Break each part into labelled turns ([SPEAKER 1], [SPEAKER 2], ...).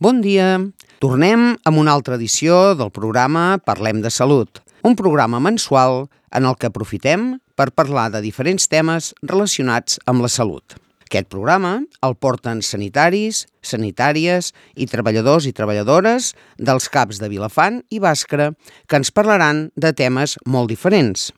[SPEAKER 1] Bon dia! Tornem amb una altra edició del programa Parlem de Salut, un programa mensual en el que aprofitem per parlar de diferents temes relacionats amb la salut. Aquest programa el porten sanitaris, sanitàries i treballadors i treballadores dels CAPs de Vilafant i Bàscara que ens parlaran de temes molt diferents.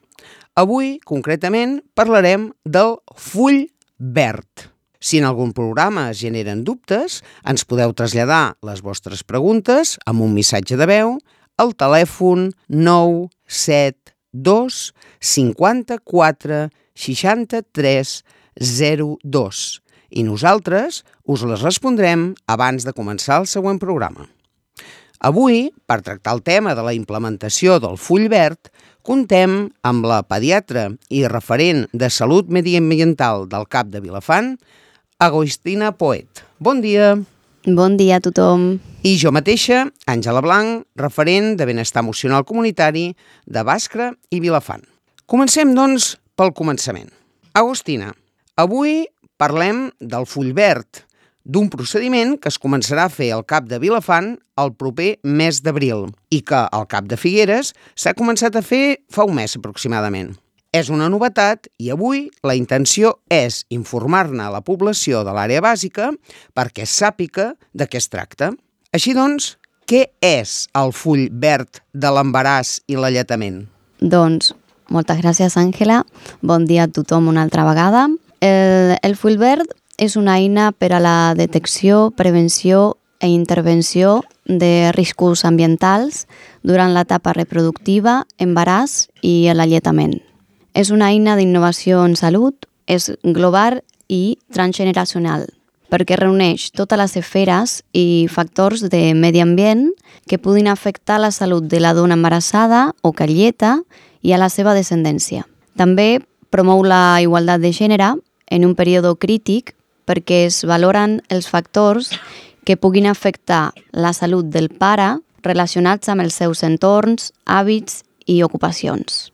[SPEAKER 1] Avui, concretament, parlarem del full verd. Si en algun programa es generen dubtes, ens podeu traslladar les vostres preguntes amb un missatge de veu al telèfon 972 54 63 02 i nosaltres us les respondrem abans de començar el següent programa. Avui, per tractar el tema de la implementació del full verd, contem amb la pediatra i referent de salut mediambiental del CAP de Vilafant, Agostina Poet. Bon dia.
[SPEAKER 2] Bon dia a tothom.
[SPEAKER 1] I jo mateixa, Àngela Blanc, referent de benestar emocional comunitari de Bàscara i Vilafant. Comencem, doncs, pel començament. Agostina, avui parlem del full verd, d'un procediment que es començarà a fer al CAP de Vilafant el proper mes d'abril i que al CAP de Figueres s'ha començat a fer fa un mes aproximadament. És una novetat i avui la intenció és informar-ne a la població de l'àrea bàsica perquè sàpiga de què es tracta. Així doncs, què és el full verd de l'embaràs i l'alletament?
[SPEAKER 2] Doncs, moltes gràcies, Àngela. Bon dia a tothom una altra vegada. El full verd és una eina per a la detecció, prevenció i intervenció de riscos ambientals durant l'etapa reproductiva, embaràs i l'alletament. És una eina d'innovació en salut, és global i transgeneracional, perquè reuneix totes les esferes i factors de medi ambient que puguin afectar la salut de la dona embarassada o que alleta i a la seva descendència. També promou la igualtat de gènere en un període crític perquè es valoren els factors que puguin afectar la salut del pare relacionats amb els seus entorns, hàbits i ocupacions.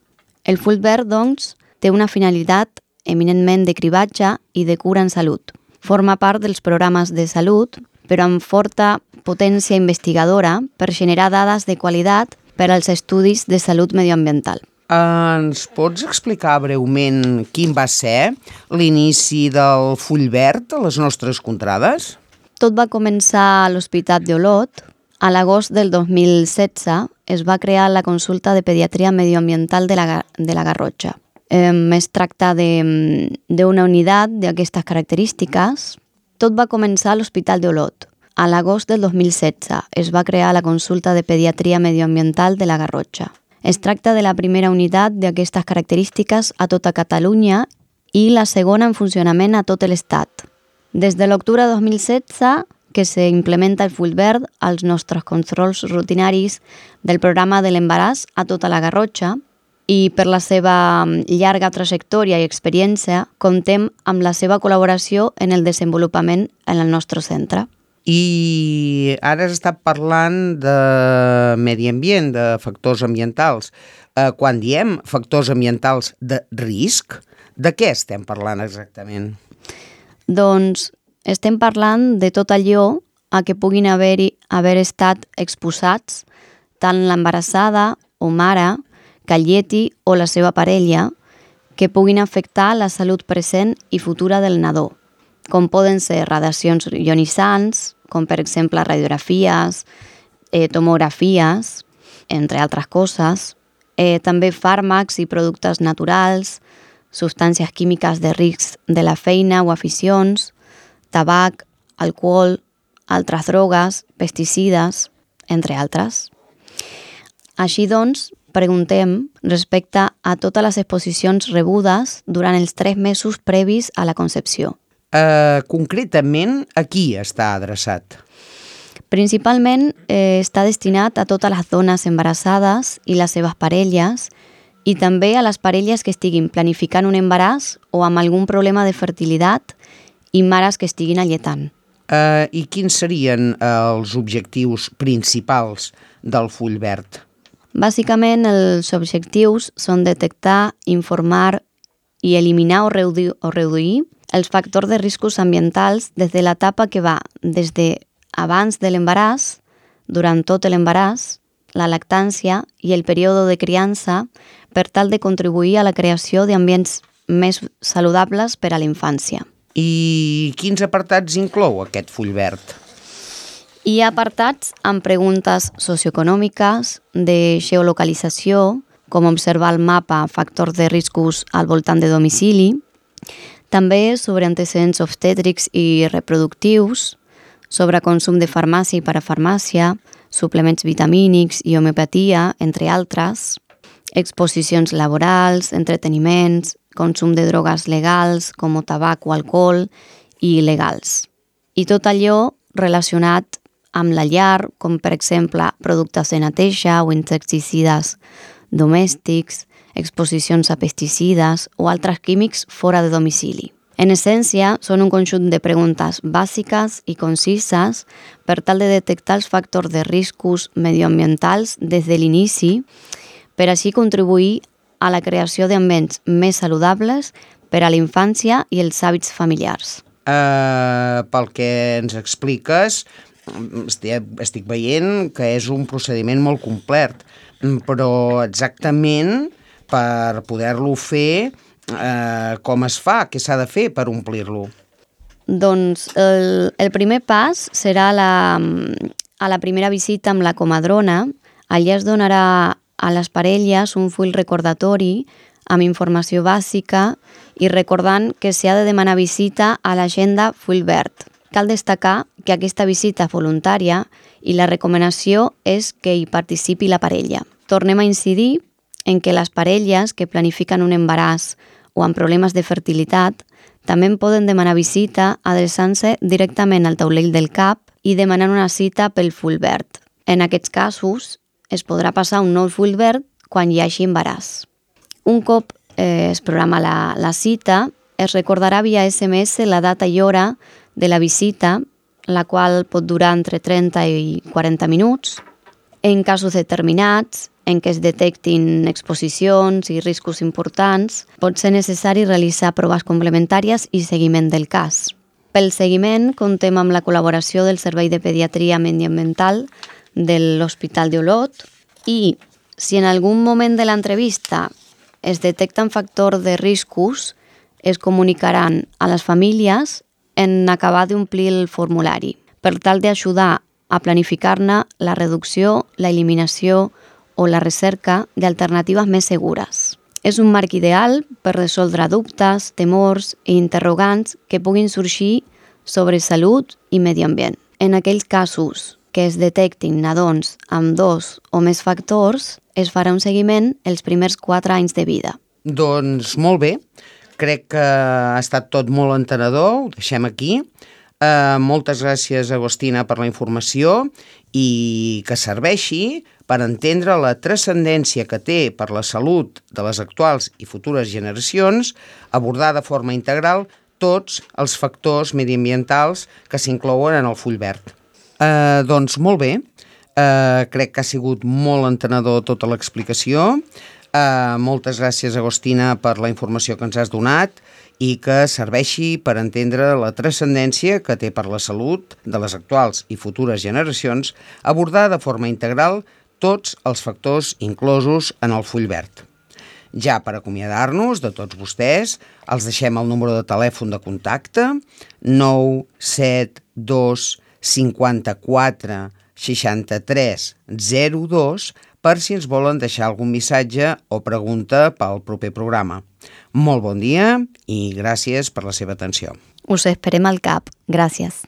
[SPEAKER 2] El full verd, doncs, té una finalitat eminentment de cribatge i de cura en salut. Forma part dels programes de salut, però amb forta potència investigadora per generar dades de qualitat per als estudis de salut medioambiental.
[SPEAKER 1] Ens pots explicar breument quin va ser l'inici del full verd a les nostres contrades?
[SPEAKER 2] Tot va començar a l'Hospital d'Olot. A l'agost del 2016 es va crear la consulta de pediatria medioambiental de la Garrotxa. Es tracta d'una unitat d'aquestes característiques. Tot va començar a l'Hospital d'Olot. A l'agost del 2016 es va crear la consulta de pediatria medioambiental de la Garrotxa. Es tracta de la primera unitat d'aquestes característiques a tota Catalunya i la segona en funcionament a tot l'Estat. Des de l'octubre de 2016 que s'implementa el full verd als nostres controls rutinaris del programa de l'embaràs a tota la Garrotxa i per la seva llarga trajectòria i experiència comptem amb la seva col·laboració en el desenvolupament en el nostre centre.
[SPEAKER 1] I ara has estat parlant de medi ambient, de factors ambientals. Quan diem factors ambientals de risc, de què estem parlant exactament?
[SPEAKER 2] Doncs estem parlant de tot allò a què puguin haver estat exposats tant l'embarassada o mare, que alleti o la seva parella, que puguin afectar la salut present i futura del nadó, com poden ser radiacions ionitzants, com per exemple radiografies, tomografies, entre altres coses, també fàrmacs i productes naturals, substàncies químiques de risc de la feina o aficions, tabac, alcohol, altres drogues, pesticides, entre altres. Així doncs, preguntem respecte a totes les exposicions rebudes durant els 3 mesos previs a la concepció.
[SPEAKER 1] Concretament, a qui està adreçat?
[SPEAKER 2] Principalment està destinat a totes les dones embarassades i les seves parelles i també a les parelles que estiguin planificant un embaràs o amb algun problema de fertilitat i mares que estiguin alletant.
[SPEAKER 1] I quins serien els objectius principals del full verd?
[SPEAKER 2] Bàsicament, els objectius són detectar, informar i eliminar o reduir els factors de riscos ambientals des de l'etapa que va des de abans de l'embaràs, durant tot l'embaràs, la lactància i el període de criança per tal de contribuir a la creació d'ambients més saludables per a la infància.
[SPEAKER 1] I quins apartats inclou aquest full verd?
[SPEAKER 2] Hi ha apartats amb preguntes socioeconòmiques, de geolocalització, com observar al mapa factors de riscos al voltant de domicili, també sobre antecedents obstètrics i reproductius, sobre consum de farmàcia i parafarmàcia, suplements vitamínics i homeopatia, entre altres, exposicions laborals, entreteniments, consum de drogues legals com tabac o alcohol i il·legals. I tot allò relacionat amb la llar, com per exemple productes de neteja o insecticides domèstics, exposicions a pesticides o altres químics fora de domicili. En essència, són un conjunt de preguntes bàsiques i concises per tal de detectar els factors de riscos medioambientals des de l'inici, per així contribuir a la creació d'ambients més saludables per a la infància i els hàbits familiars.
[SPEAKER 1] Pel que ens expliques, estic veient que és un procediment molt complet, però exactament per poder-lo fer, com es fa? Què s'ha de fer per omplir-lo?
[SPEAKER 2] Doncs el primer pas serà a la primera visita amb la comadrona. Allà es donarà a les parelles un full recordatori amb informació bàsica i recordant que s'ha de demanar visita a l'agenda full verd. Cal destacar que aquesta visita és voluntària i la recomanació és que hi participi la parella. Tornem a incidir en que les parelles que planifiquen un embaràs o amb problemes de fertilitat també poden demanar visita adreçant-se directament al taulell del CAP i demanant una cita pel full verd. En aquests casos, es podrà passar un nou full verd quan hi hagi embaràs. Un cop es programa la cita, es recordarà via SMS la data i hora de la visita, la qual pot durar entre 30 i 40 minuts. En casos determinats, en què es detectin exposicions i riscos importants, pot ser necessari realitzar proves complementàries i seguiment del cas. Pel seguiment, contem amb la col·laboració del Servei de Pediatria Mediambiental de l'Hospital d'Olot i, si en algun moment de l'entrevista es detecten factors de riscos, es comunicaran a les famílies en acabar d'omplir el formulari, per tal d'ajudar a planificar-ne la reducció, la eliminació o la recerca d'alternatives més segures. És un marc ideal per resoldre dubtes, temors i interrogants que puguin sorgir sobre salut i medi ambient. En aquells casos que es detectin nadons amb 2 o més factors, es farà un seguiment els primers 4 anys de vida.
[SPEAKER 1] Doncs molt bé, crec que ha estat tot molt entenedor, ho deixem aquí. Moltes gràcies, Agostina, per la informació i que serveixi per entendre la transcendència que té per la salut de les actuals i futures generacions abordar de forma integral tots els factors mediambientals que s'inclouen en el full verd. Doncs molt bé, crec que ha sigut molt entenedor tota l'explicació. Moltes gràcies, Agostina, per la informació que ens has donat i que serveixi per entendre la transcendència que té per la salut de les actuals i futures generacions abordar de forma integral tots els factors inclosos en el full verd. Ja per acomiadar-nos de tots vostès, els deixem el número de telèfon de contacte 972 54 63 02 per si ens volen deixar algun missatge o pregunta pel proper programa. Molt bon dia i gràcies per la seva atenció.
[SPEAKER 2] Us esperem al CAP. Gràcies.